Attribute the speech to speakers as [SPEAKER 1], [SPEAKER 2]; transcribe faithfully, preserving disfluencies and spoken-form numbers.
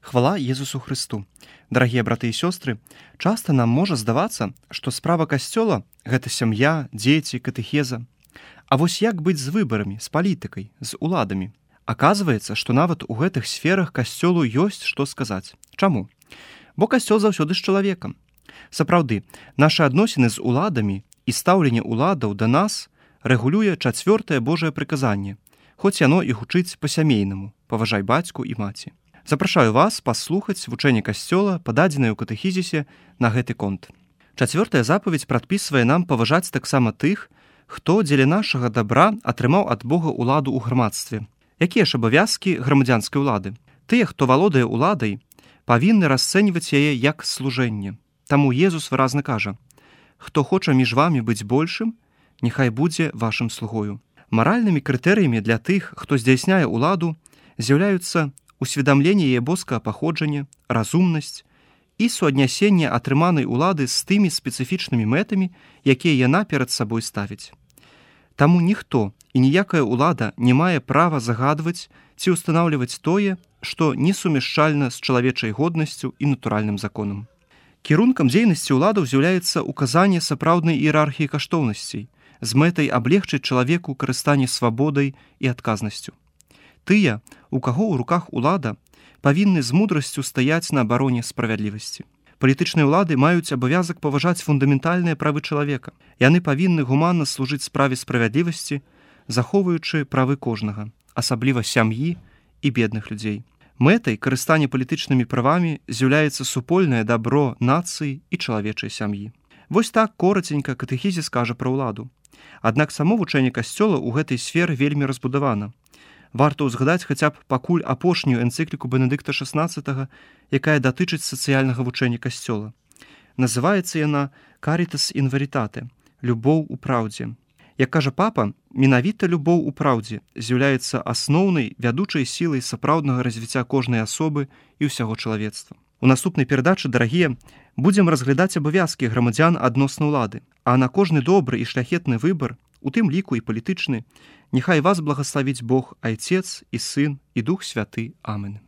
[SPEAKER 1] Хвала Езусу Христу. Дарагія браты і сёстры, часта нам можа здавацца, што справа касцёла – гэта сям'я, дзеці, катэхеза. А вось як быць з выбарамі, з палітыкай, з уладамі? Аказваецца, што нават у гэтых сферах касцёлу ёсць што сказаць. Чаму? Бо касцёл заўсёды з чалавекам. Сапраўды, нашы адносіны з уладамі і стаўленне уладаў да нас рэгулюе чацвёртае Божае прыказанне, хоць яно і гучыць па-сямейнаму – паважай бацьку і маці. Запрашаю вас паслухаць вучэнне касцёла, пададзенае ў катэхізісе на гэты конт. Чацвёртая запаведь прадпісвае нам паважаць таксама тых, хто дзеля нашага дабра атрымаў ад Бога ўладу ў грамадстве. Якія ж абавязкі грамадзянскай улады? Тыя, хто валодае уладай, павінны расцэньваць яе як служэнне. Таму Езус выразна кажа: «Хто хоча між вамі быць большым, няхай будзе вашым слугою». Маральнымі крытэрыямі для тых, хто здзяйсняе уладу, з'яўляюцца усведамленне яе боскага паходжання, разумнасць і суаднясенне атрыманай улады з тымі спецыфічнымі мэтамі, якія яна перад сабой ставіць. Таму ніхто і ніякая ўлада не мае права загадваць ці ўстанаўліваць тое, што несумяшчальна з чалавечай годнасцю і натуральным законам. Кірункам дзейнасці ўладаў з'яўляецца указанне сапраўднай іерархіі каштоўнасцей з мэтай аблегчыць чалавеку карыстанне свабодай і адказнасцю. Тыя, у каго ў руках улада, павінны з мудрасцю стаяць на абароне справядлівасці. Палітычныя ўлады маюць абавязак паважаць фундаментальныя правы чалавека. Яны павінны гуманна служыць справе справядлівасці, захоўваючы правы кожнага, асабліва сям'і і бедных людзей. Мэтай карыстання палітычнымі правамі з'яўляецца супольнае дабро нацыі і чалавечай сям'і. Вось так кораценька катэхізіс кажа пра ўладу. Аднак само вучэнне касцёла ў гэтай сферы вельмі разбудавана. Варта ўзгадаць хаця б пакуль апошнюю энцыкліку Бенедыкта шаснаццатага, якая датычыць сацыяльнага вучэння касцёла. Называецца яна «Caritas in veritate» – «Любоў у праўдзе». Як кажа папа, менавіта любоў у праўдзе з'яўляецца асноўнай вядучай сілай сапраўднага развіцця кожнай асобы і ўсяго чалавецтва. У наступнай перадачы, дарагія, будзем разглядаць абавязкі грамадзян адносна ўлады, а на кожны добры і шляхетны выбар, у тым ліку і палітычны, няхай вас благаславіць Бог, Айцец і Сын і Дух Святы. Амен.